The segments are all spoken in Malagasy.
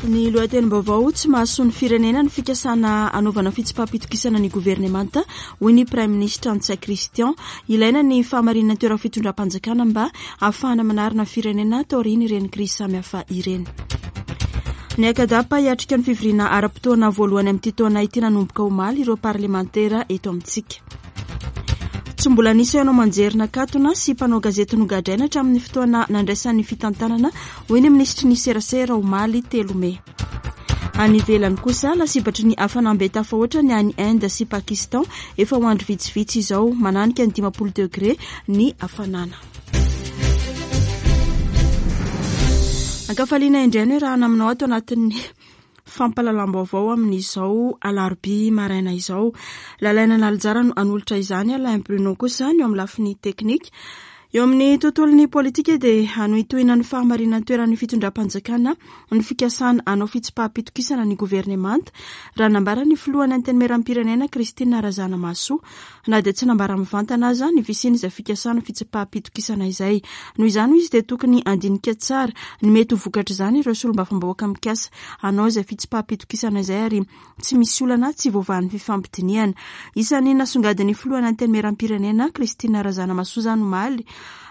Ny lohatenim-baovao, Tsy mahasoa ny firenena ny fikasana hanaovana fitsipaham-pitokisana ny governemanta, hoy ny Praiminisitra Ntsay Christian. Ilaina ny fahamarinan'ny toeran'ny fitondram-panjakana mba hahafahana manarina ny firenena taorian'ireny krizy samihafa ireny. Ny Acadap hiatrika ny fivoriana ara-potoana voalohany amin'ity taona ity nanomboka omaly ireo parlemantera eto amintsika. Tsy mbola nisy haino aman-jery nakatona sy mpanao gazety nogadraina hatramin'ny fotoana nandraisany fitantanana, hoy ny minisitry ny serasera omaly 3 mey. Any ivelany kosa, lasibatry ny hafanam-be tafahoatra ny any Inde sy Pakistan efa ho andro vitsivitsy izao, mananika ny 50 degré ny hafanana. Ankafaliana indray ny raha naminao ato anatin'ny fampahalalam-baovao amin'izao alarobia maraina izao. Lalaina Nalijara no hanolotra izany, Alain Bruno kosa ny eo amin'ny lafiny teknika. Eo amin'ny tontolon'ny politika dia hanohitohina ny fahamarinan-toeran'ny fitondram-panjakana ny fikasana hanao fitsipaham-pitokisana ny governemanta, raha nambaran'ny filohan'ny Antenimierampirenena Christine Razanamahasoa. Na dia tsy nambara mivantana aza ny fisian'izay fikasana fitsipaham-pitokisana izay. Noho izany hoy izy dia tokony handinika tsara ny mety ho vokatr'izany ireo solombavambahoaka mikasa hanao izay fitsipaham-pitokisana izay ary tsy misy olana tsy voavahan'ny fifampidinihana. Isan'ny nasongadin'ny filohan'ny Antenimierampirenena, Christine Razanamahasoa izany omaly,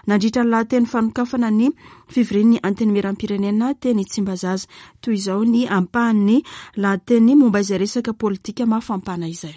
nandritra ny lahateny fanokafana ny fivorian'ny Antenimierampirenena teny Tsimbazaza. Toy izao ny ampahan'ny lahateny momba izay resaka politika mafampana izay.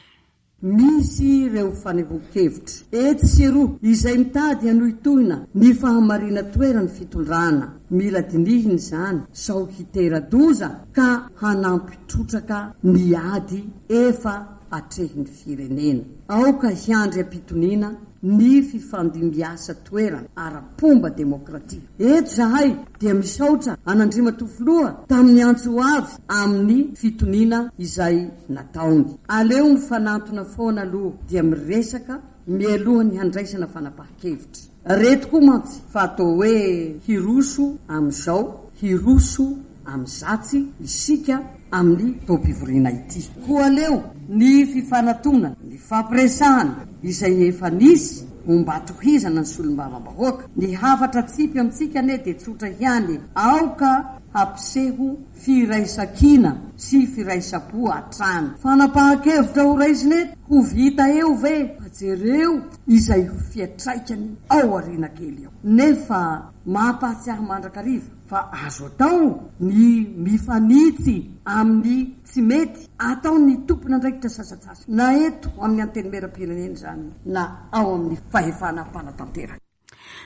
Misy ireo fanehoan-kevitra etsy sy eroa izay mitady hanohitohina ny fahamarinan-toeran'ny fitondrana. Mila dinihina izany sao hitera-doza ka hanampy trotraka ny ady efa atrehin'ny firenena. Aoka hiandry am-pitoniana ny fifandimbiasa toerana ara-pomba demokratika. Eto izahay dia misaotra an'Andriamatoa Filoha tamin'ny antso ho avy amin'ny fitoniana izay nataony. Aleo mifanantona foana aloha dia miresaka mialoha ny handraisana fanapahan-kevitra. Re tokoa mantsy fa atao hoe hiroso amin'izao, hiroso amin'izatsy isika amin'ny taom-pivoriana ity. Koa aleo ny fifanatona, ny fampiresahana izay efa nisy ho mba tohizana ny solombavambahoaka. Ny hafatra atsipy amintsika anie dia tsotra ihany e, aoka hampiseho firaisankina sy firaisam-po hatrany. Fanapahan-kevitra ho raisina eto, ho vita eo ve? Fa jereo izay ho fiantraikany ao aoriana kely ao. Nefa mampahatsiahy mandrakariva fa azo atao ny mifanitsy amin'ny tsy mety ataon'ny tompon'andraikitra sasantsasany, na eto amin'ny Antenimierampirenena izany na ao amin'ny fahefana mpanatanteraka.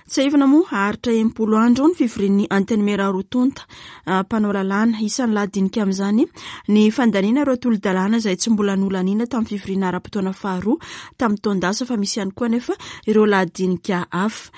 Tsiahivina moa, haharitra 60 andro ny fivorian'ny Antenimiera roa tonta mpanao lalàna. Isan'ny lahadinika amin'izany ny fandaniana ireo tolo-dalàna izay tsy mbola nolaniana tamin'ny fivoriana ara-potoana faharoa tamin'ny taon-dasa fa misy ihany koa anefa ireo lahadinika hafa.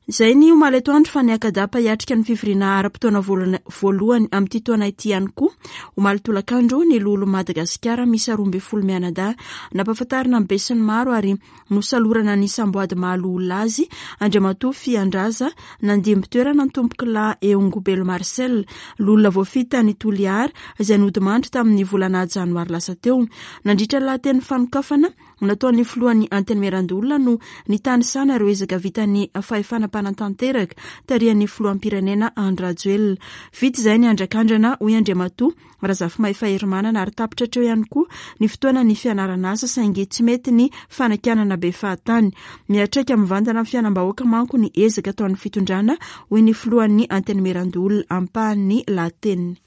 Izay ny omaly atoandro fa ny Acadap hiatrika ny fivoriana ara-potoana voalohany amin'ity taona ity ihany koa. Omaly tolakandro ny Loholon'i Madagasikara miisa 12 mianadahy nampahafantarina ny besinimaro ary nosalorana ny samboady maha loholona azy Andriamatoa Fiandraza nandimby toerana ny Tompokolahy Eongobelo Marcel, loholona voafidy tany Toliara izay nodimandry tamin'ny volana janoary lasa teo. Nandritra ny lahateny fanokafana nataon'ny filohan'ny Antenimierandoholona no nitanisana ireo ezaka vitan'ny fahefana mpanatanteraka tarihan'ny filoham-pirenena Andry Rajoelina. Vita izay ny andrakandrana, hoy Andriamatoa Razafimahefa Herimanana ary tapitra hatreo ihany koa ny fotoanan'ny fianarana asa saingy tsy mety ny fanakianana be fahatany. Miantraika mivantana amin'ny fiainam-bahoaka manko ny ezaka ataon'ny fitondrana, hoy ny filohan'ny Antenimierandoholona ampahan'ny lahateniny.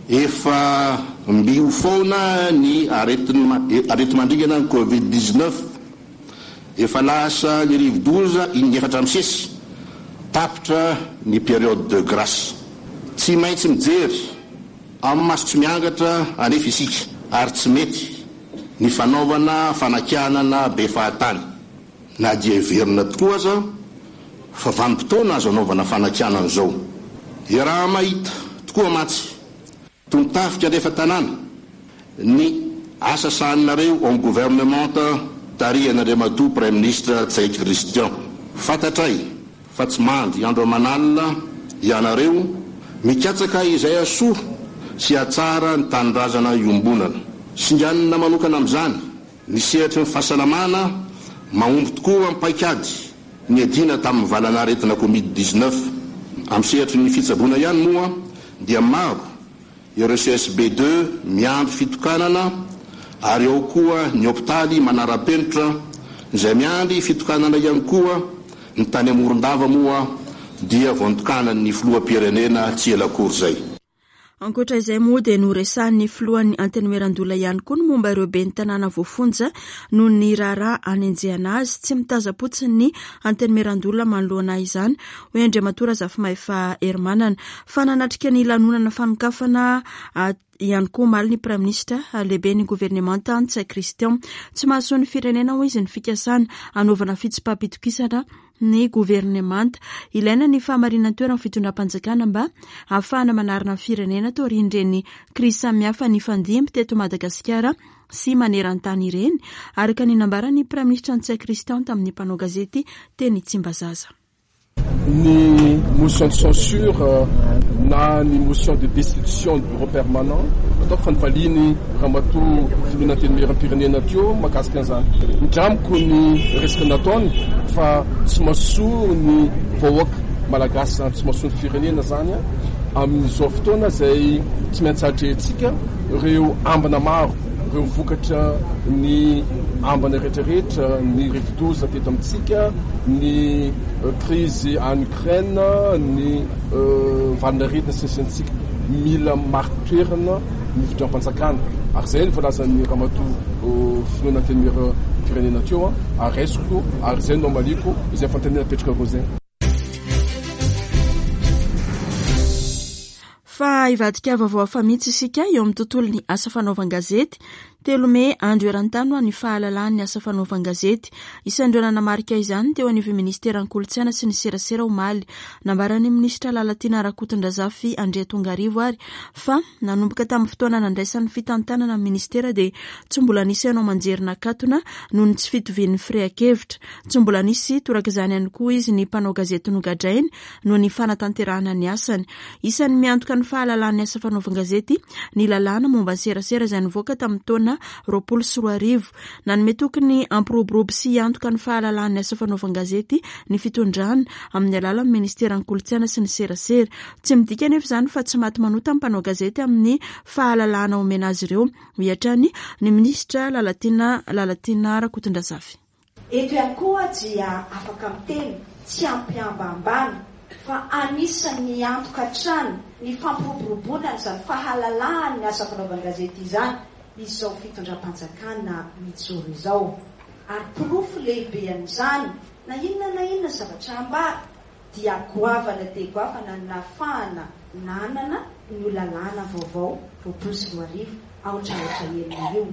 Efa mby ho foana ny areti-mandringana ny Covid 19. Efa lasa ny rivodoza in'efatra misesy. Tapitra ny période de grâce. Tsy maintsy mijery amin'ny maso tsy miangatra anefa isika ary tsy mety ny fanaovana fanakianana be fahatany. Na dia heverina tokoa aza fa vanim-potoana azo anaovana fanakianana izao. Iaraha-mahita tokoa mantsy, toy ny tafika alefa tanàna, ny asa sahaninareo ao amin'ny governemanta tarihan'Andriamatoa Praiminisitra Ntsay Christian. Fantatray fa tsy mandry andro aman'alina ianareo mikatsaka izay hahasoa sy hahatsara ny tanindrazana iombonana. Singanina manokana amin'izany Ny sehatry ny fahasalamana, mahomby tokoa amin'ny paikady niadiana tamin'ny valan'aretina Covid 19. Amin'ny sehatry ny fitsaboana ihany moa dia maro ireo CSB ii miandry fitokanana ary ao koa ny hopitaly manara-penitra izay miandry fitokanana ihany koa. Ny tany Morondava moa dia vao nitokanan'ny filoham-pirenena tsy ela akory izay. Ankoatra izay moa dia noresahin'ny filohan'ny Antenimierandoholona ihany koa ny momba ireo ben'ny tanàna voafonja noho ny raharaha anenjehana azy. Tsy mitazam-potsiny ny Antenimierandoholona manoloana izany, hoy Andriamatoa Razafimahefa Herimanana. Fa nanatrika ny lanonana fanokafana ihany koa omaly ny Praiminisitra lehiben'ny governemanta Ntsay Christian. Tsy mahasoa ny firenena, hoy izy, ny fikasana hanaovana fitsipaham-pitokisana ny governemanta. Ilaina ny fahamarinan-toeran'ny fitondram-panjakana mba hahafahana manarina ny firenena taorian'ireny krizy samihafa nifandimby teto Madagasikara sy maneran-tany ireny, araka ny nambaran'ny Praiminisitra Ntsay Christian tamin'ny mpanao gazety teny Tsimbazaza. Ny motion de censure na ny motion de destitution ny bureau permanent ataoko fa nivaliany Ramatoa Filoha Antenimierampirenena teo mahakasika an'izany. Indramiko ny resaka nataony fa tsy mahasoa ny vahoaka malagasy izany, tsy mahasoa ny firenena izany amin'izao fotoana izay tsy maintsy atrehintsika ireo ambina maro, ireo vokatra ny ambina rehetrarehetra, ny rivodoza teto amintsika, ny krizy any Ukraine, ny valin'aretina sy ny sisa antsika. Mila marin-toerana ny fitondram-panjakana ary izay no voalazan'ny Ramatoa Filohan'ny Antenimieram-pirenena teo ary raisiko ary izay no hamaliako izay fanontaniana napetrakareo izay. Fa hivadika vaovao hafa mihitsy isika eo amin'ny tontolon'ny asa fanaovan-gazety. 3 mey, andro eran-tany ho an'ny fahalalahan'ny asa fanaovan-gazety. Isan'ireo nanamarika izany teo anivon'ny minisiteran'ny Kolontsaina sy ny serasera omaly. Nambaran'ny minisitra Lalatiana Rakotondrazafy Andriatongarivo ary fa nanomboka tamin'ny fotoana nandraisany fitantanana ny minisitera dia tsy mbola nisy haino aman-jery nakatona noho ny tsy fitovian'ny firehan-kevitra. Tsy mbola nisy torak'izany ihany koa izy ny mpanao gazety nogadrainy noho ny fanatanterahana ny asany. Isan'ny miantoka ny fahalalan'ny asa fanaovan-gazety ny lalàna momba ny serasera izay nivoaka tamin'ny taona 2020. Nanome toky ny hampiroborobo sy hiantoka ny fahalalan'ny asa fanaovan-gazety ny fitondrana amin'ny alalan'ny ministeran'ny kolontsaina sy ny serasera. Tsy midika anefa izany fa tsy maty manota ny mpanao gazety amin'ny fahalalahana omena azy ireo, hoy hatrany ny minisitra Lalatiana Lalatiana Rakotondrazafy. Eto ihany koa dia afaka miteny tsy am-pihambahambana fa anisan'ny niantoka hatrany ny fampiroboroboana an'izany fahalalahan'ny asa fanaovan-gazety izany izao fitondram-panjakana mijoro izao. Ary porofo lehibe an'izany, na inona na inona zavatra ambara, dia goavana dia goavana ny nahafahana nanana io lalàna vaovao 2020 aotra aotra enina io.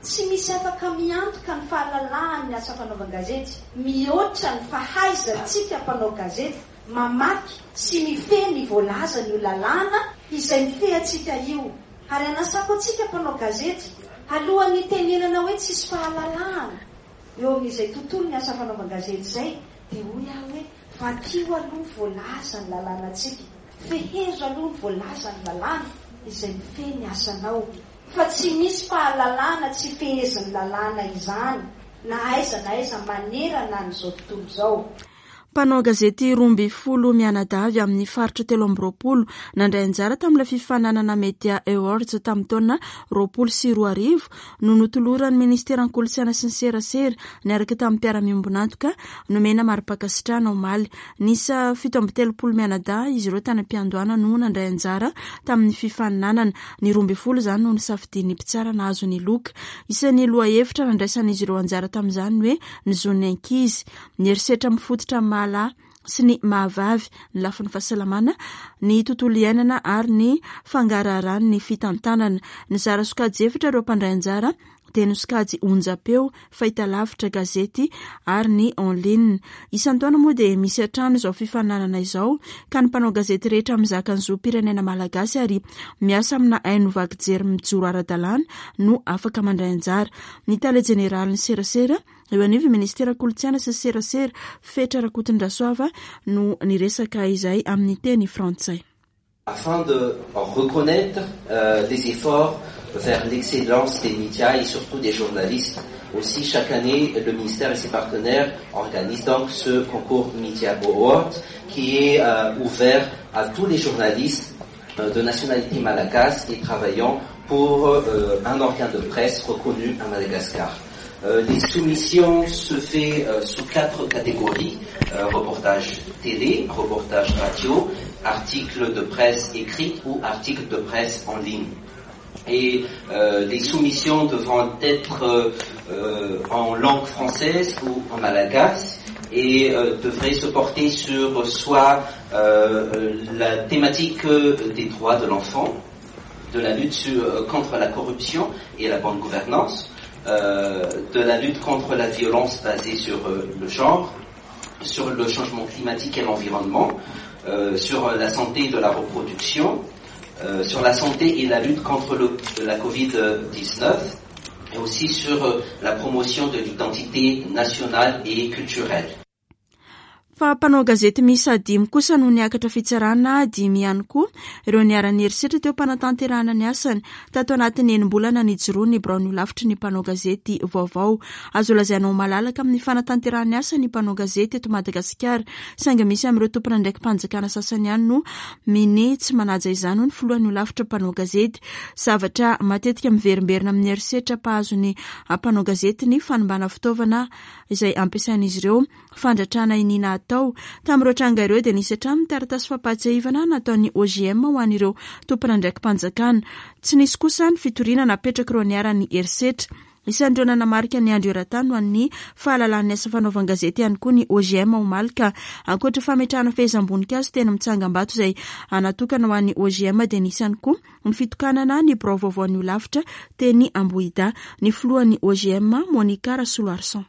Tsy misy afaka miantoka ny fahalalahan'ny asa fanaovan-gazety mihoatra ny fahaizantsika mpanao gazety mamaky sy mifehy ny voalazan'io lalàna izay mifehy antsika io. Ary anasako antsika mpanao gazety, alohan'ny hitenenana hoe tsisy fahalalahana eo amin'izay tontolon'ny asa fanaovan-gazety izay dia hoy aho hoe vakio aloha ny voalazan'ny lalànantsika, fehezo aloha ny voalazan'ny lalàna izay mifehy ny asanao. Fa tsy misy fahalalana tsy fehezin'ny lalàna izany na aiza na aiza manerana an'izao tontolo izao. Mpanao gazety 12 mianadahy avy amin'ny faritra 23 nandray anjara tamin'ilay fifaninanana Media Awards tamin'ny taona 2020 no notoloran'ny Ministeran'ny Kolontsaina sy ny Serasera niaraka tamin'ny mpiara-miombon'antoka nomena mari-pankasitrahana omaly. Niisa 37 mianadahy izy ireo tany am-piandohana no nandray anjara tamin'ny fifaninanana. Ny 12 izany no nosafidian'ny mpitsara nahazo ny loka. Isan'ny lohahevitra nandraisan'izy ireo anjara tamin'izany ny hoe ny zon'ny ankizy, ny herisetra mifototra amin'ny maha lahy sy ny maha vavy, ny lafiny fahasalamana, ny tontolo iainana ary ny fangaraharan'ny fitantanana. Nizara sokajy efatra ireo mpandray anjara dia ny sokajy onjam-peo, fahitalavitra, gazety ary ny en ligne. Isan-taona moa dia misy hatrany izao fifaninanana izao ka ny mpanao gazety rehetra mizaka ny zom-pirenena malagasy ary miasa amina haino vaky jery mijoro ara-dalàna no afaka mandray anjara. Ny tale jeneralin'ny serasera eo anivon'ny minisitera kolontsaina sy serasera, Fetra Rakotondrasoava no niresaka izay amin'ny teny frantsay. Afin de reconnaître les efforts vers l'excellence des médias et surtout des journalistes. Aussi, chaque année, le ministère et ses partenaires organisent donc ce concours Media Award qui est ouvert à tous les journalistes. De nationalité malagasy et travaillant pour un organe de presse reconnu à Madagascar. Les soumissions se fait sous 4 catégories, reportage télé, reportage radio, article de presse écrite ou article de presse en ligne. Et les soumissions devront être en langue française ou en malagasy et devraient se porter sur soit la thématique des droits de l'enfant, de la lutte contre la corruption et la bonne gouvernance, de la lutte contre la violence basée sur le genre, sur le changement climatique et l'environnement, sur la santé de la reproduction, sur la santé et la lutte contre la Covid-19, et aussi sur la promotion de l'identité nationale et culturelle. Fa mpanao gazety miisa 5 kosa no niakatra fitsarana, 5 ihany koa ireo niharan'ny herisetra teo am-panatanterahana ny asany tato anatin'ny enim-bolana nijoroan'ny biraon'ny holafitry ny mpanao gazety vaovao. Azo lazaina ho malalaka amin'ny fanatanterahana ny asany ny mpanao gazety eto Madagasikara, saingy misy amin'ireo tompon'andraiki-panjakana sasany ihany no minia tsy manaja izany, hoy ny filohan'ny holafitra mpanao gazety. Zavatra matetika miverimberina amin'ny herisetra mpahazo ny mpanao gazety ny fanimbana fitaovana izay ampiasain'izy ireo, fandratrana iniana atao. Tamin'ireo tranga ireo dia nisy hatramin'ny taratasy fampahatsiahivana nataon'ny OJM ho an'ireo tompon'andraiki-panjakana. Tsy nisy kosa ny fitoriana napetrak'ireo niharan'ny herisetra. Isan'ireo nanamarika ny andro eran-tany ho an'ny fahalalan'ny asa fanaovan-gazety ihany koa ny OJM omaly ka ankoatra fametrahana fehezam-boninkazo teny amin'ny tsangambato izay natokana ho an'ny OJM dia nisy ihany koa ny fitokanana ny birao vaovaon'ny holafitra teny Ambohidahy. Ny filohan'ny OJM, Monica Rasoloarison.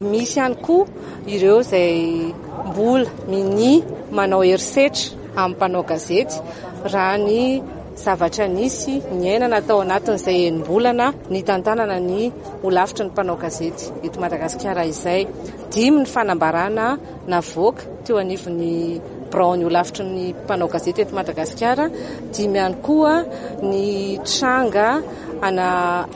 Misy ihany koa ireo izay mbola minia manao herisetra amin'ny mpanao gazety raha ny zavatra nisy niainana tao anatin'izay enim-bolana nitantanana ny holafitry ny mpanao gazety eto Madagasikara izay. 5 ny fanambarana navoaka teo anivon'ny biraon'ny holafitry ny mpanao gazety eto Madagasikara, 5 ihany koa ny tranga ana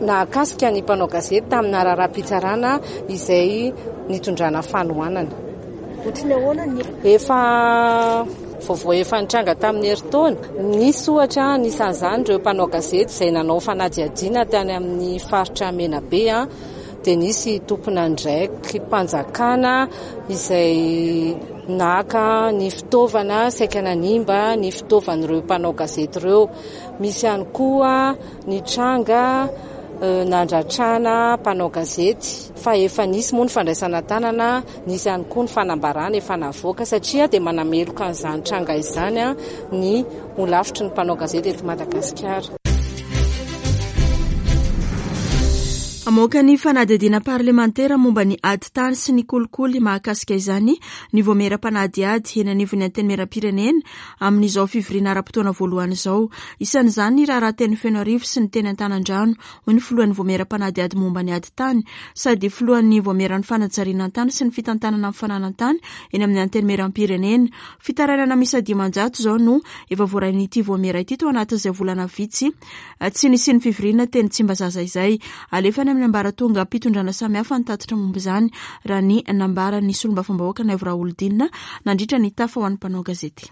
nahakasika ny mpanao gazety tamina raharaham-pitsarana izay nitondrana fanohanana. Ohatry ny ahoana ny Efa vaovao efa nitranga tamin'ny herintaona. Nisy ohatra anisan'izany ireo mpanao gazety izay nanao fanadihadiana tany amin'ny faritra Menabe, dia nisy tompon'andraiki-panjakana izay naka ny fitaovana saika nanimba ny fitaovan'ireo mpanao gazety ireo. Misy ihany koa ny tranga nandratrana mpanao gazety fa efa nisy moa ny fandraisana tanana, nisy ihany koa ny fanambarana efa navoaka satria dia manameloka an'izany tranga izany ny holafitry ny mpanao gazety eto Madagasikara. Hamoaka ny fanadihadiana parlemantera momba ny ady tany sy ny kolikoly mahakasika izany ny vaomiera mpanadihady eny anivon'ny Antenimierampirenena amin'izao fivoriana ara-potoana voalohany izao. Isan'izany ny raharaha teny Fenoarivo sy ny teny Antanandrano, hoy ny filohan'ny vaomiera mpanadihady momba ny ady tany sady filohan'ny vaomieran'ny fanajariana an-tany sy ny fitantanana ny fananan-tany eny amin'ny Antenimierampirenena. Fitarainana miisa 500 izao no efa voarain'ity vaomiera ity tao anatin'izay volana vitsy tsy nisian'ny fivoriana teny Tsimbazaza izay. Alefa any amin'ny ambaratongam-pitondrana samihafa ny tatitra momba izany, raha ny nambaran'ny solombavambahoaka Naivo Raholdina nandritra ny tafa ho an'ny mpanao gazety.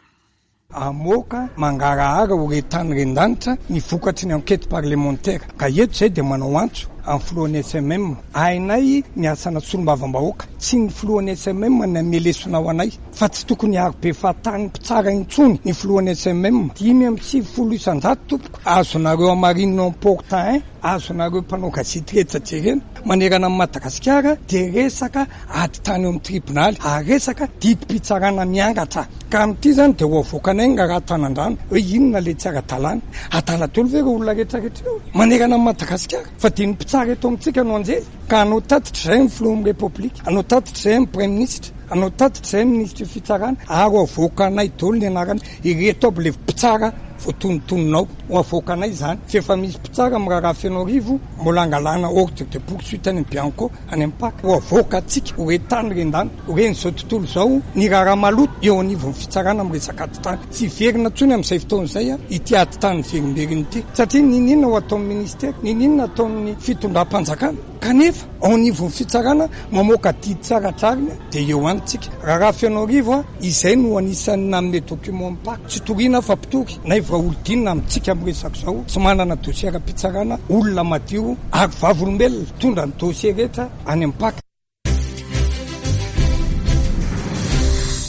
Hamoaka mangarahara ho re tany ren-danitra ny vokatry ny enquête parlementaire. Ka eto izay dia manao antso amin'ny filohan'ny SMM. Hainay ny asana solombavambahoaka. Tsy ny filohan'ny SMM no hanome lesona ho anay fa tsy tokony hiaro be fahatany mpitsara intsony ny filohan'ny SMM. 95% tompoko azonareo hamarinina ao Port 1, azonareo mpanao gazety rehetra jerena manerana an'i Madagasikara dia resaka ady tany eo amin'ny tribonaly ary resaka didim-pitsarana miangatra. Ka amin'ity izany dia ho avoakanay ny raharaha Tanandrano hoe inona ilay tsy ara-dalàna. Adala daholo ve ireo olona rehetra rehetra ireo manerana an'i Madagasikara? Fa dia ny mpitsara eto amintsika no anjely? Ka hanao tatitra izay amin'ny filohan'ny Repoblika, hanao tatitra izay amin'ny Praiminisitra, hanao tatitra izay amin'ny minisitry ny fitsarana ary ho avoakanay daholo ny anarana ireto aby ilay mpitsara voatonontonona ao. Ho avoakanay izany. Fa efa misy mpitsara amin'ny raharaha Fenoarivo mbola hangalana ordre de poursuite any amin'ny Bianco. Any amin'ny Paka, ho avoakantsika ho re tany ren-danitra, ho ren'izao tontolo izao ny raharaha maloto eo anivon'ny fitsarana amin'ny resaka ady tany. Tsy hiverina intsony amin'izay fotoana izay ity ady tany miverimberina ity, satria n'inon'inona ho ataon'ny minisitera, n'inon'inona ataon'ny fitondram-panjakana, kanefa. Ao anivon'ny fitsarana mamoaka didy tsy ara-drariny dia eo ihany tsika. Raharaha Fenoarivo izay no anisan'ny nanome document mipaka. Tsy toriana fa mpitory. Naivo Raholdina amintsika miresaka izao tsy manana dossier ara-pitsarana, olona madio ary vavolombelona mitondra ny dossier rehetra any amin'ny Pac.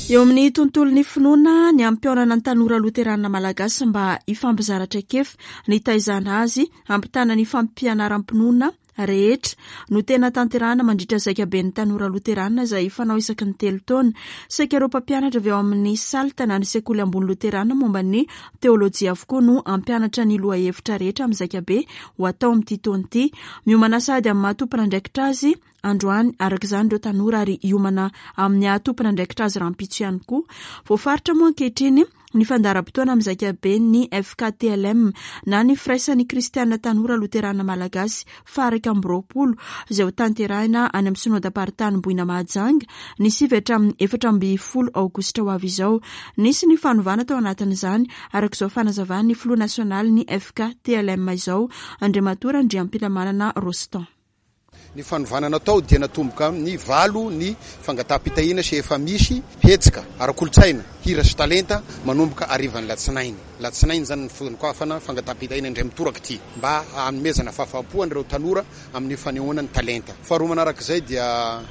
Eo amin'ny tontolon'ny finoana, ny hampihaonana ny tanora loterana malagasy mba hifampizara traikefa, nitaizana azy, hampitana ny fampianaram-pinoana rehetra no tena tanterahina mandritra zaikaben'ny tanora loterana izay fanao isaky ny telo taona. Saika ireo mpampianatra avy ao amin'ny SALT na ny sekoly ambony loterana momba ny teolojia avokoa no hampianatra ny lohahevitra rehetra amin'ny zaikabe ho atao amin'ity taona ity. Miomana sahady amin'ny maha tompon'andraikitra azy androany araka izany ireo tanora ary hiomana amin'ny haha tompon'andraikitra azy rahampitso ihany koa. Voafaritra moa ankehitriny ny fandaharam-potoana amin'ny zaikaben'ny FKTLM na ny Firaisan'ny Kristiana Tanora Loterana Malagasy faha-21 izay ho tanterahina any amin'ny Synodam-paritany Boina Mahajanga ny 9 hatramin'ny 14 aogositra ho avy izao. Nisy ny fanovana tao anatin'izany araka izao fanazavan'ny filoha nasionalin'ny FKTLM izao, Andriamatoa Randriampilamanana Rostand. Ny fanovana natao dia natomboka amin'ny valo ny fangataham-pitahiana sy efa misy hetsika ara-kolontsaina, hira sy talenta manomboka harivan'ny latsinainy. Latsinainy izany ny fanokafana fangataham-pitahiana indray mitoraka ity mba hanomezana fahafaham-po an'ireo tanora amin'ny fanehoana ny talenta. Faharoa manarak'izay dia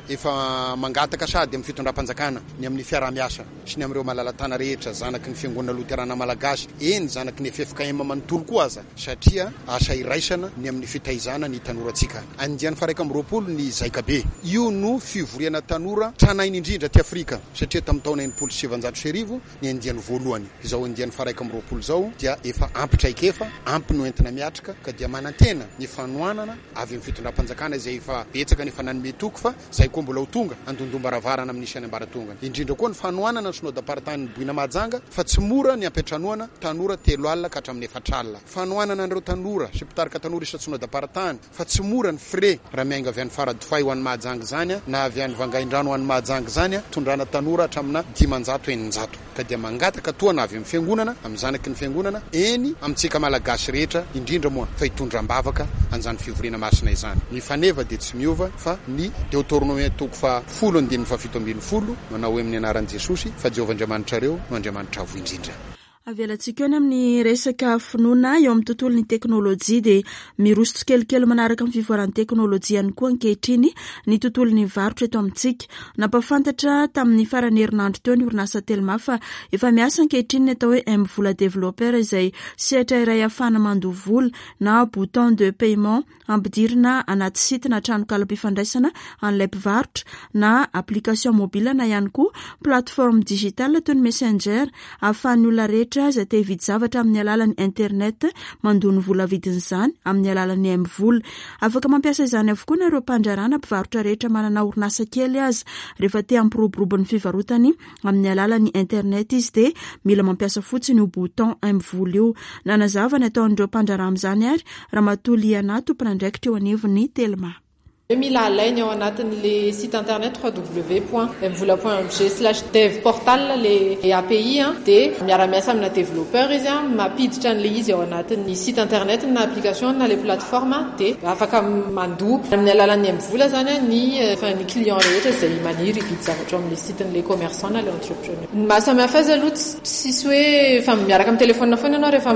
efa mangataka sahady amin'ny fitondram-panjakana ny amin'ny fiaraha-miasa sy ny amin'ireo malala-tana rehetra zanaky ny Fiangonana Loterana Malagasy, eny zanaky ny ffkm manontolo koa aza. satria asa iraisana ny amin'ny fitaizana ny tanorantsika. Andiany faha-21 ny Zaikabe. Io no fivoriana tanora tranainy indrindra aty Afrika, satria tamin'ny taona 1960 ny andiany voalohany. Izao andiany faha-21 izao dia efa ampy traikefa, ampy no entina miatrika, ka dia manantena ny fanohanana avy amin'ny fitondram-panjakana izay efa betsaka ny efa nanome toky fa Izay koa mbola ho tonga handondom-baravarana amin'ny isan'ny ambaratongany. Indrindra koa ny fanohanana ny Synodam-paritanin'i Boina Mahajanga fa tsy mora ny hampiantranoana tanora telo alina ka hatramin'ny efatra alina. Fanohanana an'ireo tanora sy mpitarika tanora isan-tsynodam-paritany fa tsy mora ny frais raha miainga avy any Faradofay ho any Mahajanga izany na avy any Vangaindrano ho any Mahajanga izany tondrana tanora hatramina 500 600. Ka dia mangataka tohana avy amin'ny Fiangonana, amin'ny zanaky ny Fiangonana, eny amintsika Malagasy rehetra, indrindra moa fa hitondra am-bavaka an'izany fivoriana masina izany. Ny faneva dia tsy miova fa ny Deotornomia toko faha folo andininy faha 17 manao hoe amin'ny anaran'i Jesosy fa Jehovah Andriamanitrareo no Andriamanitra Avo Indrindra. Avelantsika eo ny amin'ny resaka finoana eo amin'ny tontolon'ny teknolojia dia miroso tsikelikely manaraka ny fivoaran'ny teknolojia ihany koa ankehitriny ny tontolon'ny varotra eto amintsika. Nampahafantatra tamin'ny faran'ny herinandro teo ny orinasa Telma fa efa miasa ankehitriny ny atao hoe MVola Developer izay sehatra iray ahafahana mandoa vola na bouton de paiement ampidirina anaty site na tranokalam-pifandraisana an'ilay mpivarotra na application mobile na ihany koa plateforme digitale toy ny messenger ahafahan'ny olona rehetra izay te hividy zavatra amin'ny alalan'ny internet mandoa ny vola vidin'izany amin'ny alalan'ny MVola. Afaka mampiasa izany avokoa na ireo mpandraharaha na mpivarotra rehetra manana orinasa kely aza. Rehefa te hampiroborobo ny fivarotany amin'ny alalan'ny internet izy dia mila mampiasa fotsiny io bouton MVola io. Nanazava ny ataon'ireo mpandraharaha amin'izany ary Ramatoa Liana, tompon'andraikitra eo anivon'ny Telma. Hoe mila alainy ao anatin'le site internet www.mvola point mg slash dev portal le API dia miara-miasa amina développeur izy mampiditra an'le izy ao anatin'ny site internet na application na le plateforme dia afaka mandoa amin'ny alalan'ny mvola zany ny ny client rehetra izay maniry hividy zavatra ao amin'le site-n'le commerçant na le entrepreneur. Ny maha samy hafa azy aloha tsisy hoe efa miaraka amin'ny téléphone foana ianao rehefa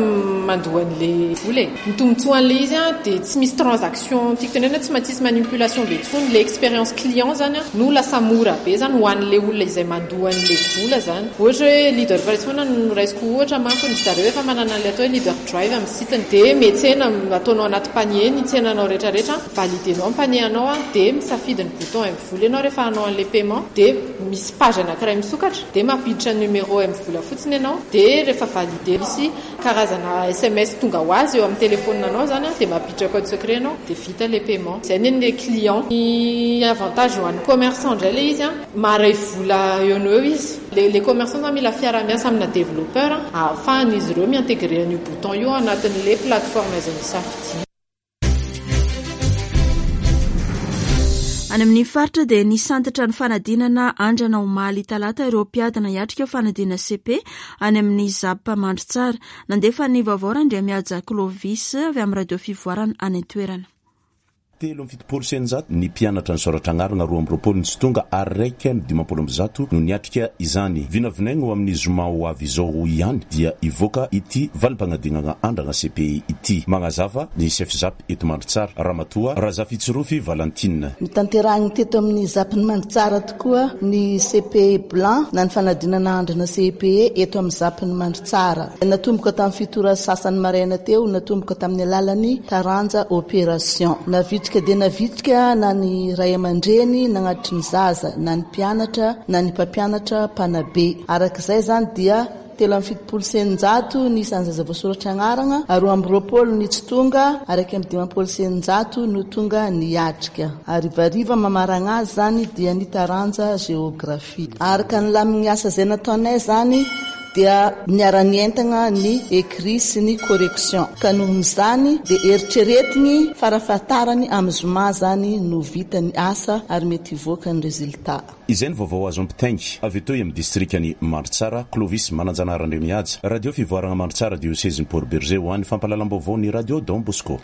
mandoa an'le vola e. Ny tombotsoan'ilay izy dia tsy misy transaction, tiako tenenina tsy maintsy hisy manipulation be intsony, ilay expérience client zany no lasa mora be zany ho an'ilay olona izay mandoa an'ilay vola zany. Ohatra hoe leader price foana no raisiko ohatra manko, ry zareo efa manana an'ilay atao hoe leader drive amin'ny site-ny, dia miantsena, ataonao anaty panier ny tsenanao rehetra rehetra, valider-nao ny panier anao dia misafidy ny bouton mvola ianao rehefa hanao an'ilay paiement, dia misy page anankiray misokatra, dia mampiditra numéro mvola fotsiny ianao, dia rehefa valider misy Karazana sms tonga ho azy eo amin'ny telephone anao zany an, dia mampiditra code secret ianao dia vita ilay paiement. Izay ny an'ilay client. Ny avantage ho an'ny commerçant indray ilay izy an, maharay vola eo no eo izy. Ilay commerçant zany mila fiaraha-miasa amina développeur ahafahan'izy ireo mi-integrer an'io bouton io ao anatin'ilay plateforme izay nosafidiany. Any amin'ny faritra dia nisantatra ny fanadinana andrana omaly talata ireo mpiadina hiatrika fanadinana cepe any amin'ny Zap Mandritsara. Nandefa ny vaovao Randriamihaja Clovis avy amin'ny Radio Fivoarana any an-toerana. 673 ny mpianatra nisoratra agnarana, 22 ny tsy tonga ary 151 no niatrika izany. Vinavinaigny ho amin'ny zoma ho avy izao ihany dia hivoaka ity valim-pagnadignagna andragna CPI ity. Magnazava ny chef zap eto Mandritsara, Ramatoa Razafitsirofi Valentine. Notanterahiny teto amin'ny Zap-n'i Mandritsara tokoa ny CPE Blanc na ny fanadinana andrana CEPE eto amin'ny Zap-n'i Mandritsara. Natomboka tamin'ny fito ora sasany maraina teo, natomboka tamin'ny alalan'ny taranja opération. Navitrika dia navitrika na ny ray aman-dreny nagnatitry ny zaza, na ny mpianatra, na ny mpampianatra mpanabe. Araka izay izany dia 673 ny isan'ny zaza voasoratra agnarana, 22 ny tsy tonga, ary 651 no tonga niatrika. Harivariva mamaragna azy izany dia ny taranja géographie. Araka ny lamin'ny asa izay nataonay izany dia niara-nientagna ny écrit sy ny correction ka nohon'izany dia eritreretigny farafahatarany amin'ny zoma izany no vita ny asa ary mety hivoaka ny résultat. Izay ny vaovao azo ampitaigny avy etoy amin'ny distrikan'i Mandritsara, Clovis Mananjanahary Andriamihaja, Radio Fivoaragna Mandritsara, Diosezin'i Port Bergé ho an'ny fampahalalam-baovao ny Radio Don Bosco.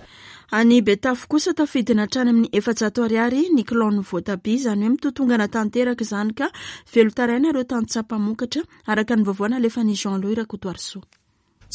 Any Betafo kosa tafidina hatrany amin'ny 400 ariary ny kilaon'ny voatabia, izany hoe mitotongana tanteraka izany ka velon-taraina ireo tantsaha mpamokatra, araka ny vaovao nalefan'i Jean Louis Rakotoarisoa.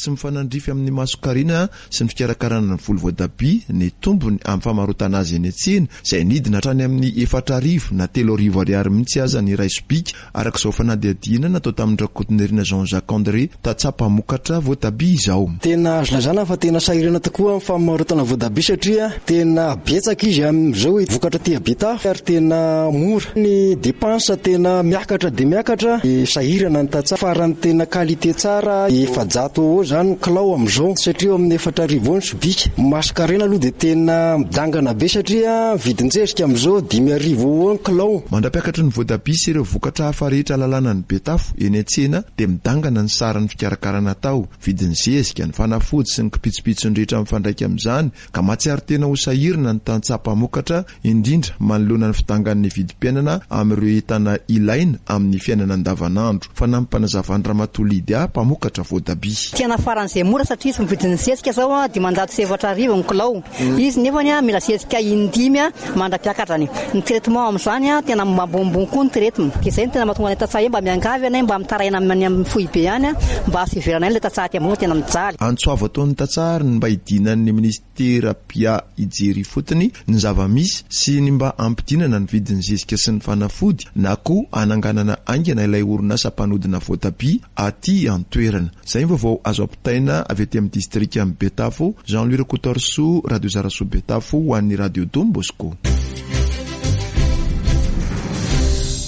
Tsy mifanandrify amin'ny masonkarena sy ny fikarakarana ny voly voatabia ny tombony amin'ny famarotana azy eny an-tsena, izay nidina hatrany amin'ny 4000 na 3000 ariary mihitsy aza ny iray sobika, araka izao fanadihadiana natao tamin-dRakotonirina Jean Jacques André, tantsaha mpamokatra voatabia izao. Tena azo lazana fa tena sahirana tokoa amin'ny famarotana voatabia satria tena betsaka izy amin'izao vokatra aty Betafo ary tena mora. Ny dépense tena miakatra dia miakatra, sahirana ny tantsaha. Farany tena qualité tsara 400 eo izany ny kilao amin'izao satria eo amin'ny 4000 eo ny sobika. Masonkarena aloha dia tena midangana be satria vidin-jezika amin'izao 5000 eo eo ny kilao. Mandra-piakatry ny voatabia sy ireo vokatra hafa rehetra lalàna ny Betafo eny an-tsena dia midangana ny saran'ny fikarakarana atao, vidin'ny zezika, ny fanafody sy ny kipitsopitsony rehetra mifandraika amin'izany ka mahatsiaro tena ho sahirana ny tantsaha mpamokatra indrindra manoloana ny fidangan'ny vidim-piainana amin'ireo entana ilaina amin'ny fiainana andavanandro. Fanampim-panazavan'i Ramatoa Lydia, mpamokatra voatabia. Tena faran'izay mora satria izy mividy ny zezika zao 504 ny kilao. Izy nefany mila zezika in-dimy mandra-piakatrany. Ny traitement amin'izany tena ambonimbony koa ny traitement. Dia izay no tena mahatonga anay tantsaha hoe mba miangavy anay mba mitaraina any amin'ny foibe any mba fiverenay ilay tantsaha aty ambony fa tena mijaly. Antso avo ataon'ny tantsaha ary ny mba hidinan'ny minisitera Pia hijery ifotony ny zava-misy sy ny mba hampidinana ny vidin'ny zezika sy ny fanafody na koa hananganana haingana ilay orinasa mpanodina voatabia aty an-toerana. Izay ny vaovao azo ampitaina avy aty amin'ny distrikan'i Betafo, Jean Louis Rakotoarisoa, Radio Zarasoa Betafo ho an'ny Radio Don Bosco.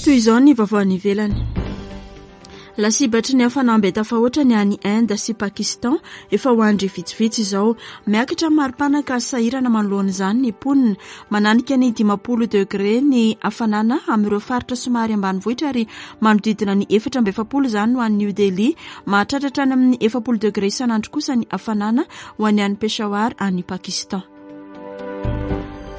Toy izao ny vaovao any ivelany. Lasibatry ny hafanambe tafahoatra ny any Inde sy Pakistan efa ho andry vitsivitsy izao. Miakatra ny maripana ka sahirana manoloana izany ny mponina. Mananika ny 50 degré ny hafanana amin'ireo faritra somary ambanivohitra ary manodidina ny 44 izany ho an'i New Delhi. Mahatratra hatrany amin'ny 40 degré isan'andro kosa ny hafanana ho an'ny any Peshawar any Pakistan.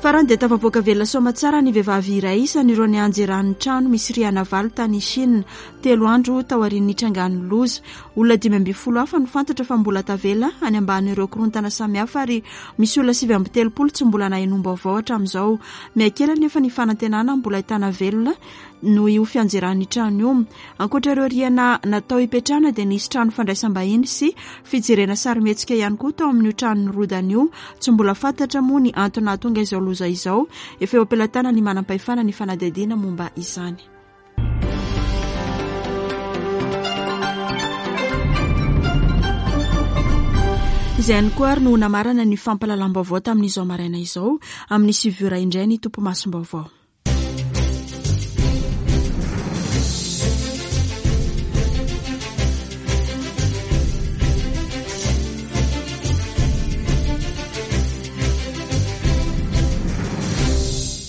Farany dia tafavoaka velona soamatsara ny vehivavy iray isan'ireo nianjeran'ny trano misy rihana valo tany Chine, telo andro taorian'ny nitrangan'ny loza. Olona 15 hafa no fantatra fa mbola tavela any ambanin'ireo korontana samihafa ary misy olona 39 tsy mbola nahenoam-baovao hatramin'izao. Mihakely anefa ny fanantenana mbola ahitana velona noho io fianjeran'ny trano io. Ankoatra ireo rihana natao hipetrahana dia nisy trano fandraisam-bahiny sy fijerena sarimihetsika ihany koa tao amin'io trano nirodana io. Tsy mbola fantatra moa ny antony nahatonga izao loza izao. Efa eo am-pelatanan'ny manam-pahefana ny fanadihadiana momba izany. Izay ihany koa ary no namarana ny fampahalalam-baovao tamin'izao maraina izao. Amin'ny sivy ora indray ny topimasom-baovao.